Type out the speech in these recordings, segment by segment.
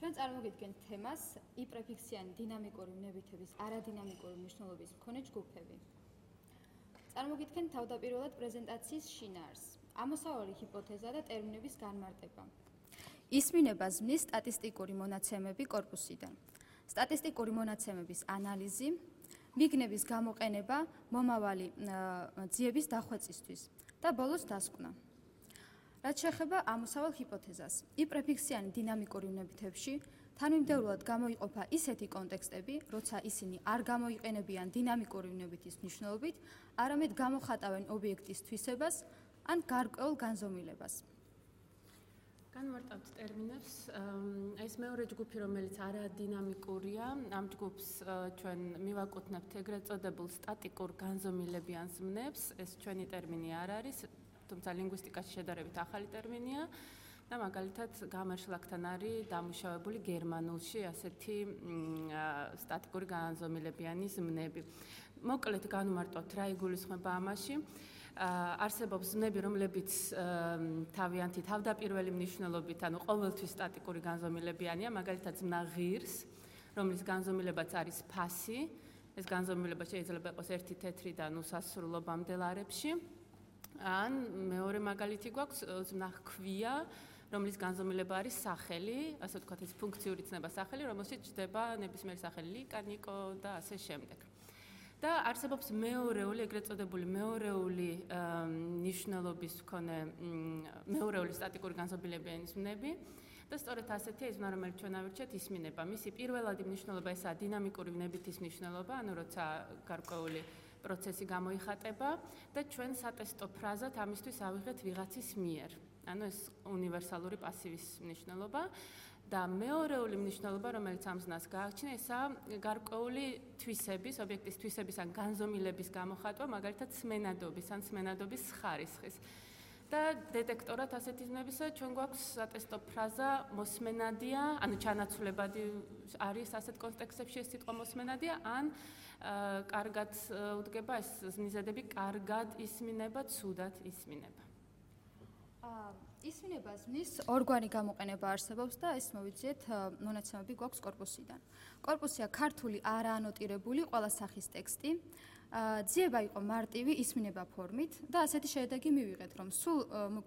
ჩვენ წარმოგიდგენთ თემას იპრეფიქსიანი დინამიკური ვნებითების არადინამიკური მნიშვნელობის მქონე ჯგუფები. წარმოგიდგენთ თავდაპირველად პრეზენტაციის შინაარსს, ამოსავალი ჰიპოთეზა და ტერმინების განმარტება. ისმინება ზმნის სტატისტიკური მონაცემები კორპუსიდან. სტატისტიკური მონაცემების ანალიზი, მიგნების გამოყენება მომავალი ძიების დახვეწისთვის და ბოლოს დასკვნა. რაც შეეხება ამოსავალ ჰიპოთეზას, იპრეფიქსიანი დინამიკური ვნებითებში თანმიმდევრულად გამოიყოფა ისეთი კონტექსტები, როცა ისინი არ გამოიყენებიან დინამიკური ვნებითის მნიშვნელობით, არამედ გამოხატავენ ობიექტის თვისებას ან გარკვეულ განზომილებას. განვარტავთ ტერმინებს. ეს მეორე ჯგუფი, რომელიც არადინამიკურია, ამ ჯგუფს ჩვენ მივაკუთვნებთ ეგრეთ წოდებულ სტატიკურ განზომილებიან ზმნებს. ეს ჩვენი ტერმინი არ არის, თუმცა ლინგვისტიკაში შედარებით ახალი ტერმინია და მაგალითად გამერშლაკთან არის დამუშავებული გერმანულში ასეთი სტატიკური განზომილებიანი ზმნები. მოკლედ განვარტავთ რა იგულისხმება ამაში. არსებობს ზმნები, რომლებიც თავიანთი თავდაპირველი მნიშვნელობით, ანუ ყოველთვის სტატიკური განზომილებიანია, მაგალითად ზმნა ღირს, რომლის განზომილებაც არის ფასი. ეს განზომილება შეიძლება იყოს ერთი თეთრიდან უსასრულობამდე ლარებში. ან მეორე მაგალითი გვაქვს ზმნა ჰქვია, რომლის განზომილება არის სახელი, ასე ვთქვათ, ეს ფუნქციური ცნება სახელი, რომელშიც ჩნდება ნებისმიერი სახელი ლიკა, ნიკო და ასე შემდეგ. და არსებობს მეორეული, ეგრეთ წოდებული მეორეული ნიშნულობის მქონე მეორეული სტატიკური განზომილებიანი ზმნები და სწორედ ასეთია ის ზმნა, რომელიც ჩვენ ავირჩიეთ, ისმინება. მისი პირველადი მნიშვნელობა ესაა დინამიკური ვნებითის მნიშვნელობა, ანუ როცა გარკვეული პროცესი გამოიხატება და ჩვენ სატესტო ფრაზად ამისთვის ავიღეთ ვიღაცის მიერ. ანუ ეს უნივერსალური პასივის მნიშვნელობა და მეორეული მნიშვნელობა, რომელიც ამ ზნას გააჩნია, ესაა გარკვეული თვისების, ობიექტის თვისების ან განზომილების გამოხატვა, მაგალითად სმენადობის ან სმენადობის ხარისხის. და დეტექტორად ასეთი ზმნებისა ჩვენ გვაქვს სატესტო ფრაზა მოსმენადია, ანუ ჩანაცვლებადი არის ასეთ კონტექსტებში ეს სიტყვა მოსმენადია, ან კარგად უდგება ეს ზმნიზადები, კარგად ისმინება, ცუდად ისმინება. ისმინება ზმნის ორგვარი გამოყენება არსებობს და ეს მოვიძიეთ მონაცემები გვაქვს კორპუსიდან. კორპუსია ქართული არაანოტირებული ყველა სახის ტექსტი. ძიება იყო მარტივი ისმინება ფორმით და ასეთი შედეგი მივიღეთ, რომ სულ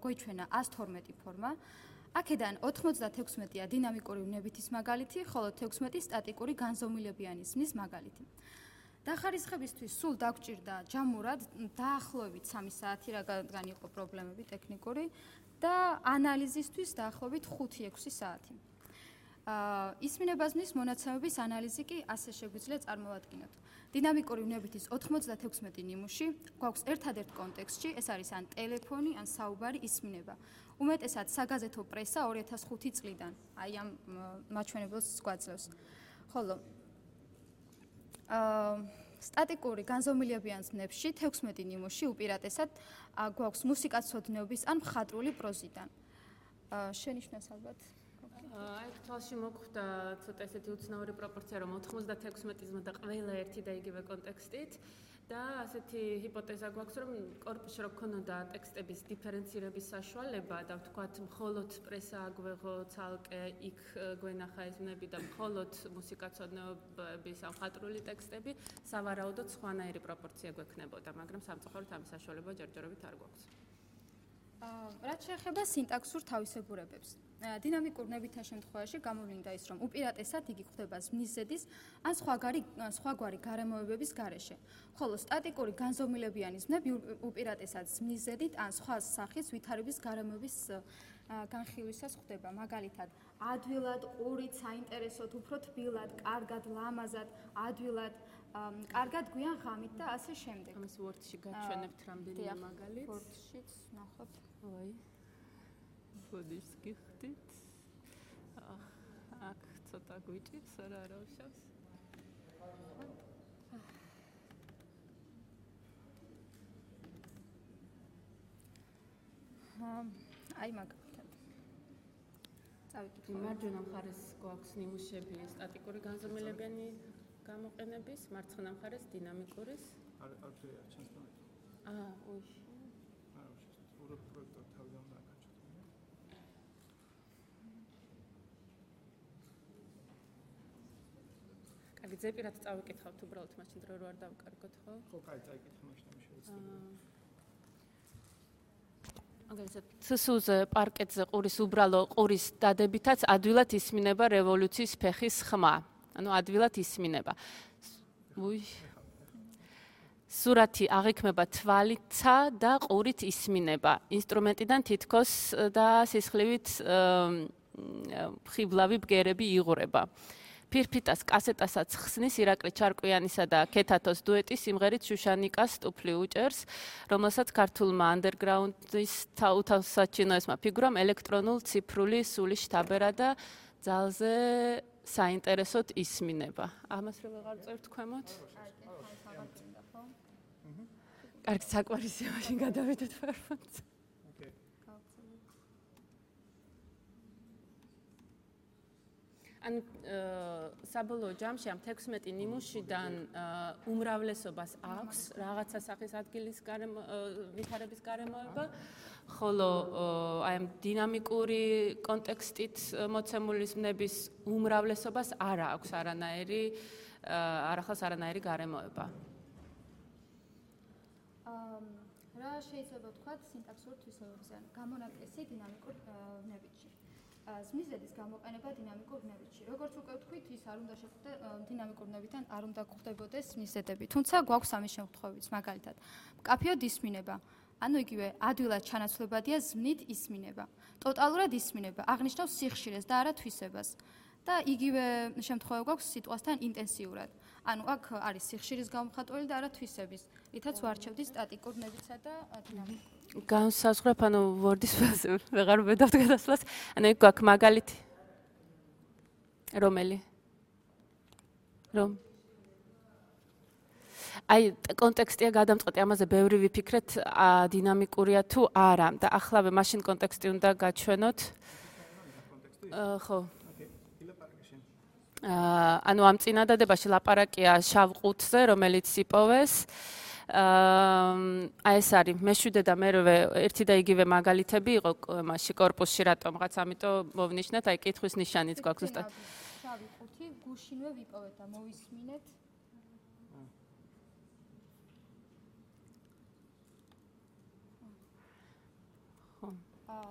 გვიჩვენა 112 ფორმა. აქედან 96-ია დინამიკური ვნებითის მაგალითი, ხოლო 16 სტატიკური განზომილებიანი ზმნის მაგალითი. დახარისხებისთვის სულ დაგვჭირდა ჯამურად დაახლოებით 3 საათი, რადგან იყო პრობლემები ტექნიკური და ანალიზისთვის დაახლოებით 5-6 საათი. ისმინება ზმნის მონაცემების ანალიზი კი ასე შეგვიძლია წარმოვადგინოთ. დინამიკური ვნებითის 96 ნიმუში გვაქვს ერთადერთ კონტექსტში, ეს არის ან ტელეფონი, ან საუბარი ისმინება. უმეტესად საგაზეთო პრესა 2005 წლიდან, აი ამ მაჩვენებელს გვაძლევს. ხოლო სტატიკური განზომილებიან ზმნებში 16 ნიმუში უპირატესად გვაქვს მუსიკაცოდნეობის ან მხატვრული პროზიდან. შენიშნოს ალბათ. აი თვალში მოხვდა ცოტა ესეთი უცნაური პროპორცია, რომ 96 ზმნა და ყველა ერთი და იგივე კონტექსტით და ასეთი ჰიპოთეზა გვაქვს, რომ კორპუსში რო ქონოდა ტექსტების დიფერენცირების საშუალება და ვთქვათ, მხოლოდ პრესა აგვეღო ცალკე, იქ გვენახა ეს ზმნები და მხოლოდ მუსიკაცოდნეობის ან მხატვრული ტექსტები, სავარაუდოდ სხვანაირი პროპორცია გვექნებოდა, მაგრამ სამწუხაროდ ამის საშუალება ჯერჯერობით არ გვაქვს. რაც შეეხება სინტაქსურ თავისებურებებს. დინამიკურ ვნებითთა შემთხვევაში გამოვლინდა ის, რომ უპირატესად იგი გვხვდება ზმნის ზედის ან სხვაგვარი გარემოებების გარეშე, ხოლო სტატიკური განზომილებიანი ზმნები უპირატესად ზმნის ზედით ან სხვა სახის ვითარების გარემოების განხილვისას ხდება, მაგალითად, ადვილად, ყურით, საინტერესოდ, უფრო თბილად, კარგად, ლამაზად, ადვილად, კარგად, გვიან ღამით და ასე შემდეგ. ამას Word-ში გაჩვენებთ რამდენიმე მაგალითს. Word-შიც ნახოთ. ой. ბოდიშს გიხდით. აქ ცოტა გვიჭირს, რა უშავს. აი მაგალითად. წავიკითხე. მარჯვენა მხარეს გვაქვს ნიმუშები სტატიკური განზომილებიანი გამოყენების, მარცხენა მხარეს დინამიკურის. არ ჩანს და. ოი. უბრალოდ პროექტორ თავიდან დაკაჩოთ. ზეპირად წავიკითხავთ უბრალოდ მაშინ დრო რო არ დავკარგოთ, ხო? ხო, კაი, წაიკითხე მაშინ ამ შეუძლებელი. მაგალითად, ცსუ-ზე პარკეტზე ყურის უბრალო ყურის დადებითაც ადვილად ისმინება რევოლუციის ფეხის ხმა. ანუ ადვილად ისმინება. სურათი აღიქმება თვალითა და ყურით ისმინება. ინსტრუმენტიდან თითქოს და სისხლივით ხიბლავი ბგერები იღურება. ფირფიტას კასეტასაც ხსნის ირაკლი ჩარკვიანისა და ქეთათოს დუეტი სიმღერით შუშანიკას ტუფლი უჭერს, რომელსაც ქართულმა ანდერგრაუნდის თავსაჩინოესმა ფიგურამ ელექტრონულ ციფრული სული შთაბერა და ძალზე საინტერესოდ ისმინება. ამას რო ვეღარ წერთ ქვემოთ? კარგი, საკვარისია, მაშინ გადავიდეთ ფერფონს. ან საბოლოო ჯამში ამ 16 ნიმუშიდან უმრავლესობას აქვს რაღაცა სახის ადგილის ვითარების გარემოება, ხოლო აი ამ დინამიკური კონტექსტით მოცემული ზმნების უმრავლესობას არ აქვს არანაირი გარემოება. რა შეიძლება ვთქვათ სინტაქსურ თვისებებზე, გამონაკლისი დინამიკურ ვნებითში. ზმნიზედის გამოყენება დინამიკურ ვნებითში. როგორც უკვე ვთქვით, ის არ უნდა დინამიკურ ვნებიდან არ უნდა გვხვდებოდეს ზმნიზედები. თუმცა გვაქვს ამის შემთხვევებიც, მაგალითად, მკაფიოდ ისმინება. ანუ იგივე ადვილად ჩანაცვლებადია ზმნით ისმინება. ტოტალურად ისმინება, აღნიშნავს სიხშირეს და არა თვისებას. და იგივე შემთხვევა გვაქვს სიტყვასთან ინტენსიურად. ანუ აქ არის სიხშირის გამოხატველი და არა თვისების. რითაც ვარჩევდით სტატიკურ ვნებითსა და დინამიკურ. განსაზღვრებ, ანუ ვორდის ფაზზე ვეღარ ვედავთ გადასვლას. ანუ იქ გვაქვს მაგალითი. რომელი? აი, კონტექსტია გადამწყვეტი, ამაზე ბევრი ვიფიქრეთ, დინამიკურია თუ არა. დაახლავე მაშინ კონტექსტი უნდა გაჩვენოთ. ხო. ანუ ამ წინადადებაში ლაპარაკია შავ ყუთზე, რომელიც იპოვეს. აი ეს არის მეშვიდე და მერვე ერთი და იგივე მაგალითები იყო მასში კორპუსში რატომღაც, ამიტომ მოვნიშნეთ, აი კითხვის ნიშანიც გვაქვს ზუსტად. შავი ყუთი გუშინვე ვიპოვეთ და მოვისმინეთ.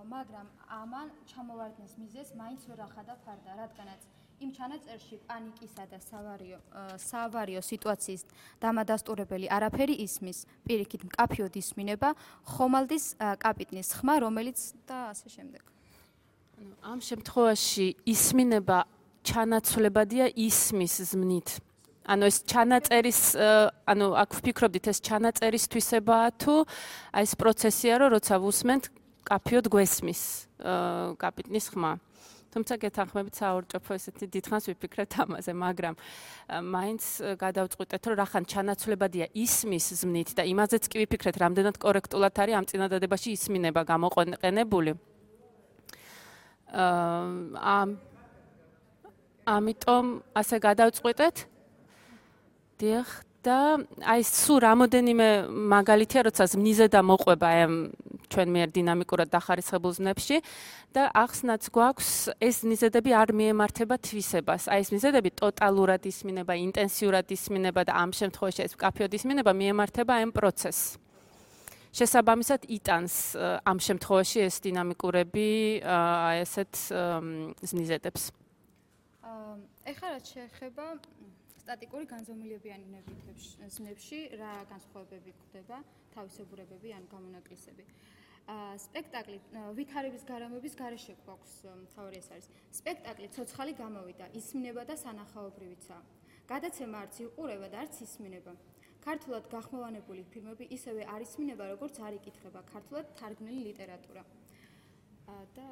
მაგრამ ამან ჩამოვარდნის მიზეზს მაინც ვერ ახადა ფარდა, რადგანაც იმ ჩანაწერში პანიკისა და საავარიო სიტუაციის დამადასტურებელი არაფერი ისმის, პირიქით მკაფიოდ ისმინება, ხომალდის კაპიტნის ხმა, რომელიც და ასე შემდეგ. ამ შემთხვევაში ისმინება ჩანაცვლებადია ისმის ზმნით. ანუ ეს ჩანაწერის, ანუ აქ ვფიქრობდით, ეს ჩანაწერის თვისებაა თუ აი ეს პროცესია, რომ როცა ვუსმენთ, კაფიოდ გვესმის კაპიტნის ხმა. თუმცა გეთანხმებით საურჭოფო ესეთი დიდხანს ვიფიქრეთ ამაზე, მაგრამ მაინც გადავწყვიტეთ, რომ რახან ჩანაცვლებადია ისმის ზმნით და იმაზეც კი ვიფიქრეთ, რამდენად კორექტულად არის ამ წინადადებაში ისმინება გამოყენებული. ამიტომ ასე გადავწყვიტეთ. დიახ, და აი სულ რამოდენიმე მაგალითია, როცა ზმნიზე და მოყვება ამ ჩვენ მიერ დინამიკურად დახარისხებულ ზმნებში და ახსნაც გვაქვს ეს ზმნიზედები არ მიემართება თვისებას. აი ეს ზმნიზედები ტოტალურად ისმინება, ინტენსიურად ისმინება და ამ შემთხვევაში ეს მკაფიოდ ისმინება მიემართება ამ პროცესს. შესაბამისად იტანს ამ შემთხვევაში ეს დინამიკურები აი ესეთ ზმნიზედებს. ეხლა რაც შეეხება სტატიკური განზომილებიანი ზმნებში რა განსხვავებები გვხვდება, თავისებურებები ან გამონაკლისები. სპექტაკლი ვითარების გარემოების გარეშე გვაქვს თავი ეს არის. სპექტაკლი ცოცხალი გამოვიდა, ისმინება და სანახაობრივიცა. გადაცემა არც იყურება და არც ისმინება. ქართულად გახმოვანებული ფილმები ისევე არ ისმინება, როგორც არ იკითხება ქართულად თარგმნილი ლიტერატურა. და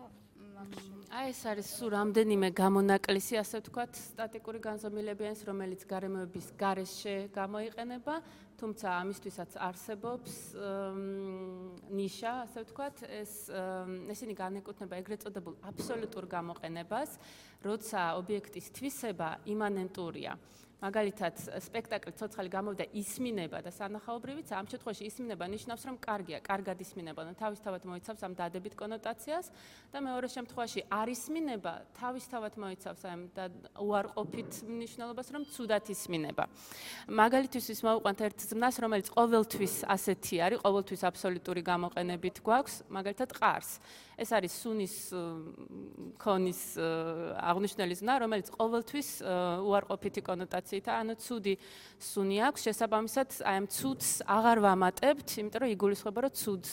აი ეს არის სულ რამდენიმე გამონაკლისი, ასე ვთქვათ, სტატიკური განზომილებიანის, რომელიც გარემოების გარეშე გამოიყენება, თუმცა ამისთვისაც არსებობს ნიშა, ასე ვთქვათ, ესენი განეკუთვნება ეგრეთ წოდებულ აბსოლუტურ გამოყენებას, როცა ობიექტის თვისება იმანენტურია. მაგალითად, სპექტაკლი ცოცხალი გამოვიდა ისმინება და სანახაობრივიც, ამ შემთხვევაში ისმინება ნიშნავს, რომ კარგია, კარგად ისმინება, და თავისთავად მოიცავს ამ დადებით კონოტაციას და მეორე შემთხვევაში არ ისმინება, თავისთავად მოიცავს ამ უარყოფით მნიშვნელობას, რომ ცუდად ისმინება. მაგალითისთვის მოვუყვანთ ერთ ზმნას, რომელიც ყოველთვის ასეთი არის, ყოველთვის აბსოლუტური გამოყენებით გვაქვს, მაგალითად ყარს. ეს არის სუნის ქონის აღნიშნული ზმნა, რომელიც ყოველთვის უარყოფითი კონოტაციითაა, ანუ ცუდი სუნი აქვს, შესაბამისად, აი ამ ცუდს აღარ ვამატებთ, იმიტომ რომ იგულისხმება, რომ ცუდს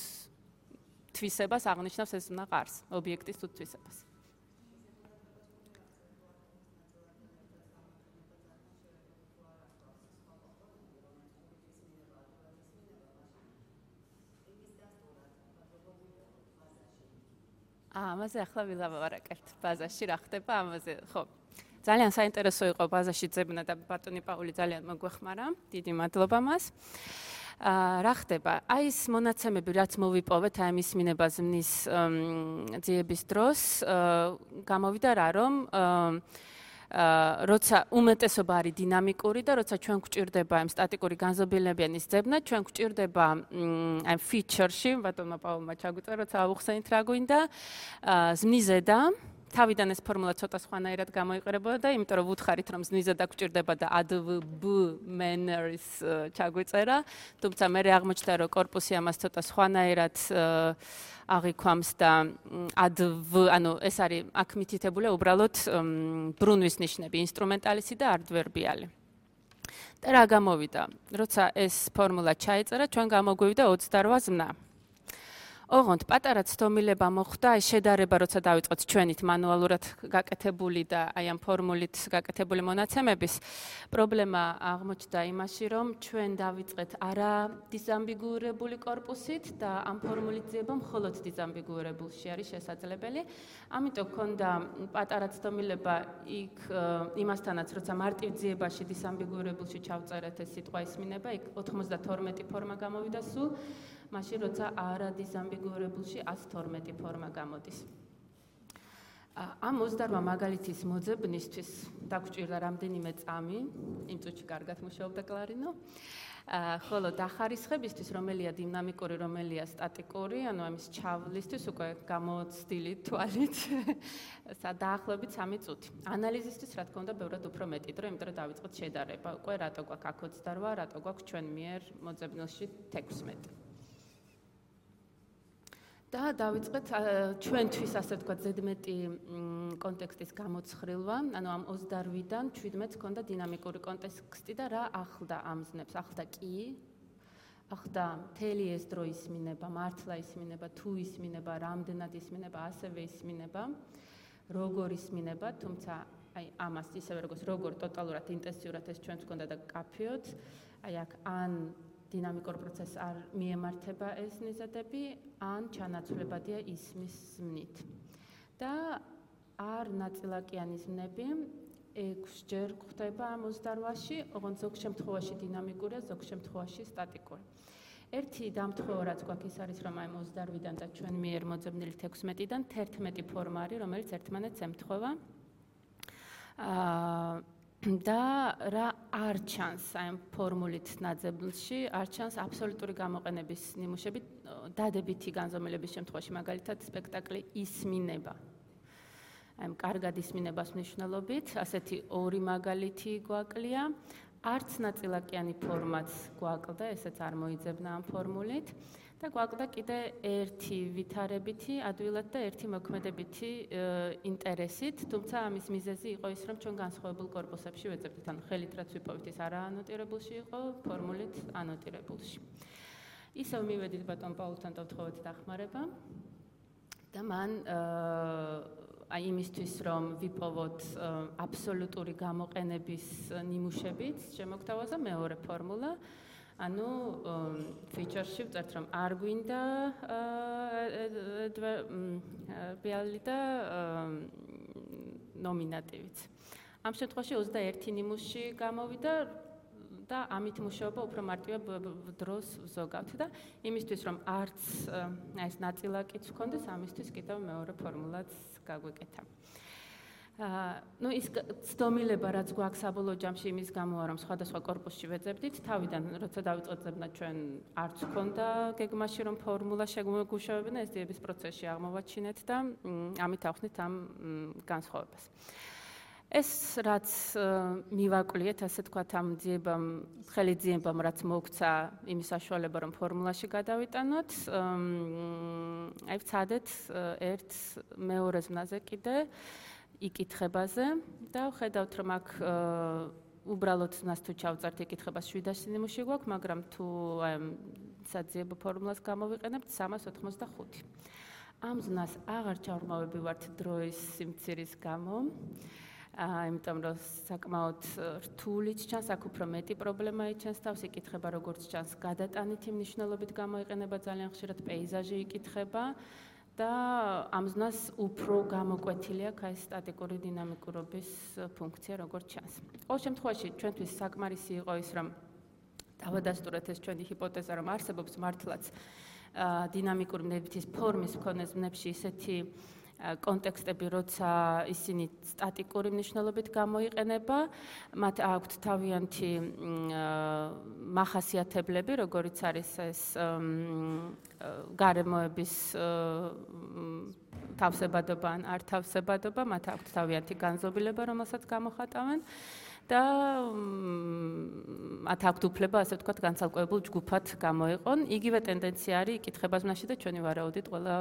თვისებას აღნიშნავს ეს ზმნა ყარს, ობიექტის ცუდ თვისებას. ამაზე ახლა ვილაპარაკებთ ბაზაში რა ხდება ამაზე ხო ძალიან საინტერესო იყო ბაზაში ძებნა და ბატონი პაული ძალიან მოგვეხმარა დიდი მადლობა მას რა ხდება აი ეს მონაცემები რაც მოვიპოვეთ აი მის მინება ზმნის ძიების დროს გამოვიდა რა რომ როცა უმეტესობა არის დინამიკური და როცა ჩვენ გვჭირდება ამ სტატიკური განზომილებიანის ძებნა, ჩვენ გვჭირდება ამ ფიჩერში, ბატონმა პაულმა ჩაგვიწერა, როცა ავუხსენით რა გვინდა, ზმნიზედა, თავიდან ეს ფორმულა ცოტა სხვანაირად გამოიყურებოდა და იმიტომ რომ ვუთხარით რომ ზმნიზედა გვჭირდება და adv manners ჩაგვიწერა, თუმცა მე აღმოჩნდა რომ корпуსი ამას ცოტა სხვანაირად აღიქვამს და adv, ანუ ეს არის აქ მითითებული უბრალოდ ბრუნვის ნიშნები, ინსტრუმენტალისი და ადვერბიალი. და რა გამოვიდა? როცა ეს ფორმულა ჩაიწერა, ჩვენ გამოგვივიდა 28 ზმნა. ოღონდ პატარა ცდომილება მოხდა, აი შედარება, როცა დავიწყოთ ჩვენით მანუალურად გაკეთებული და აი ამ ფორმულით გაკეთებული მონაცემების პრობლემა აღმოჩნდა იმაში, რომ ჩვენ დავიწყეთ არა დიზამბიგურებული корпуსით და ამ ფორმულით ძიება მხოლოდ დიზამბიგურებულში არის შესაძლებელი. ამიტომ გქონდა პატარა ცდომილება იქ იმასთანაც, როცა მარტივ ძიებაში დიზამბიგურებულში ჩავწერეთ ეს სიტყვა ისმინება, იქ 92 ფორმა გამოვიდა სულ. მაშინ როცა არა დიზამბიგურებულში 112 ფორმა გამოდის. ამ 28 მაგალითის მოძებნისთვის დაგჭირდა რამდენიმე წამი, იმ წუთში კარგად მუშაობდა კლარინო. ხოლო დახარისხებისთვის, რომელია დინამიკური, რომელია სტატიკური, ანუ ამის ჩავლისთვის უკვე გამოცდილი თვალით, დაახლოებით 3 წუთი. ანალიზისთვის რა თქმა უნდა, ბევრად უფრო მეტი დრო, იმიტომ რომ დავიწყოთ შედარება. უკვე რატო გვაქვს აქ 28, რატო გვაქვს ჩვენ მიერ მოძებნილში 16. და დავიწყეთ ჩვენთვის ასე ვთქვათ ზედმეტი კონტექსტის გამოცხრილვა, ანუ ამ 28-დან 17-ს ჰქონდა დინამიკური კონტექსტი და რა ახლდა ამ ზნებს, ახლდა კი, ახლდა მთელი ეს დრო ისმინება, მართლა ისმინება, თუ ისმინება, რამდენად ისმინება, ასევე ისმინება, როგორ ისმინება, თუმცა აი ამას ისევე როგორ ტოტალურად ინტენსიურად ეს ჩვენს ჰქონდა და კაფეოთ, აი აქ ან დინამიკურ პროცესს არ მიემართება ეს ნიზადები, ან ჩანაცვლებადია ისმის ზმნით. და არ ნაწილაკიანი ზმნები 6-ჯერ გვხდება ამ 28-ში, ოღონდ ზოგ შემთხვევაში დინამიკურია, ზოგ შემთხვევაში სტატიკური. ერთი დამთხოვა რაც გვაქვს ის არის, რომ აი 28-დან და ჩვენ მიერ მოძებნილი 16-დან 11 ფორმა არის, რომელიც ერთმანეთს ემთხვევა. და რა არ ჩანს აი ფორმულით ნაძებნში, არ ჩანს აბსოლუტური გამოყენების ნიმუშები დადებითი განზომილების შემთხვევაში, მაგალითად სპექტაკლი ისმინება. აი კარგად ისმინებას მნიშვნელობით, ასეთი ორი მაგალითი გვაკლია, არც ნაწილაკიანი ფორმაც გვაკლდა, ესეც არ მოიძებნა ამ ფორმულით. და გვაკლდა კიდე ერთი ვითარებითი, ადვილად და ერთი მოქმედებითი ინტერესით, თუმცა ამის მიზეზი იყო ის, რომ ჩვენ განსხვავებულ корпуსებში ვეძებდით, ანუ ხელით რაც ვიპოვეთ ის არა ანოტირებულში იყო, ფორმულით ანოტირებულში. ისევ მივედით ბატონ პაულთან და ვთხოვეთ დახმარება და მან აი იმისთვის რომ ვიპოვოთ აბსოლუტური გამოყენების ნიმუშებით, შემოგთავაზა მეორე ფორმულა. ანუ ფიჩერში ვწერთ რომ არ გვინდა ბიალი და ნომინატივიც. ამ შემთხვევაში 21 ნიმუში გამოვიდა და ამით მუშაობა უფრო მარტივად დროს ვზოგავთ და იმისთვის რომ არც ეს ნაწილაკიც ვქონდეს, ამისთვის კიდევ მეორე ფორმულაც გაგვეკეთა. ну ის ცდომილება რაც გვაქვს საბოლოო ჯამში იმის გამო რომ სხვადასხვა корпуსში ვეძებდით თავიდან როცა დავიწყეთ ძებნა ჩვენ არც ქონდა გეგმაში რომ ფორმულა შეგვეგვშოვებინა ეს ძიების პროცესში აღმოვაჩინეთ და ამით ავხსნით ამ განსხვავებას ეს რაც მივაკვლიეთ ასე თქვათ ამ ძიებამ ხელი ძიებამ რაც მოგცა იმის საშუალება რომ ფორმულაში გადავიტანოთ აი ვცადეთ ერთ მეორე ზმნაზე კიდე იკითხებაზე და ვხედავთ რომ აქ უბრალოდ მას თუ ჩავწერთ იკითხებას 700 ნიმუში გვაქვს მაგრამ თუ აი საძიებო ფორმულას გამოვიყენებთ 385 ამ ზნას აღარ ჩავრმავები ვართ დროის სიმცირის გამო იმიტომ რომ საკმაოდ რთულიც ჩანს აქ უფრო მეტი პრობლემა იჩენს თავს იკითხება როგორც ჩანს გადატანითი მნიშვნელობით გამოიყენება ძალიან ხშირად პეიზაჟი იკითხება და ამ ზნას უფრო გამოკვეთილი აქვს აი სტატიკური დინამიკურობის ფუნქცია როგორც ჩანს. ყოველ შემთხვევაში ჩვენთვის საკმარისი იყო ის რომ დავადასტურეთ ეს ჩვენი ჰიპოთეზა რომ არსებობს მართლაც დინამიკური ნებითის ფორმის მქონე ზნებში ისეთი კონტექსტები, როცა ისინი სტატიკური მნიშვნელობით გამოიყენება, მათ აქვთ თავიანთი მახასიათებლები, როგორიც არის ეს გარემოების თავსებადობა ან არ თავსებადობა, მათ აქვთ თავიანთი განზომილება, რომელსაც გამოხატავენ და მათ აქვთ უფლება, ასე ვთქვათ, განცალკევებულ ჯგუფად გამოიყონ. იგივე ტენდენცია არის იკითხება ზმნაში და ჩვენი ვარაუდით ყველა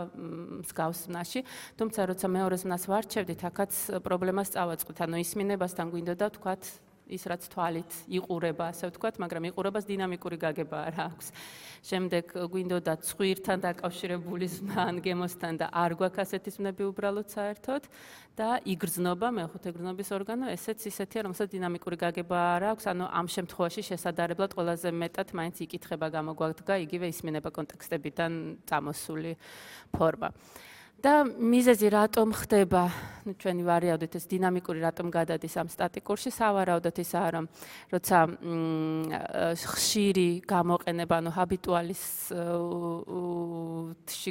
მსგავს ზმნაში. თუმცა როცა მეორე ზმნას ვარჩევდით, აქაც პრობლემას წავაწყდით. ანუ ისმინებასთან გვინდოდა ვთქვათ ის რაც თვალით იყურება, ასე ვთქვათ, მაგრამ იყურებას დინამიკური გაგება არ აქვს. შემდეგ გვინდოდა ცხვირთან დაკავშირებული ზმნა ან გემოსთან და არ გვაქვს ასეთი ზმნები უბრალოდ საერთოდ და იგრძნობა მეხუთე გრძნობის ორგანო, ესეც ისეთია, რომელსაც დინამიკური გაგება არ აქვს, ანუ ამ შემთხვევაში შესაძლებლად ყველაზე მეტად მაინც იკითხება გამოგვადგა იგივე ისმინება კონტექსტებიდან წამოსული ფორმა. და მიზეზი რატომ ხდება, ну ჩვენი ვარაუდით ეს დინამიკური რატომ გადადის ამ სტატიკურში, სავარაუდოდ ისაა რომ როცა ხშირი გამოყენება, ანუ ჰაბიტუალისში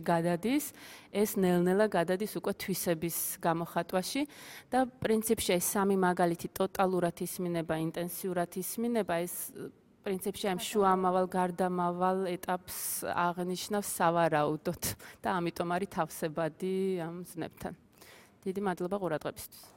გადადის, ეს ნელ-ნელა გადადის უკვე თვისების გამოხატვაში და პრინციპში ეს სამი მაგალითი ტოტალურად ისმინება, ინტენსიურად ისმინება, ეს პრინციპში ამ შუამავალ გარდამავალ ეტაპს აღნიშნავს სავარაუდოდ და ამიტომ არის თავსებადი ამ ზნებთან. დიდი მადლობა ყურადღებისთვის.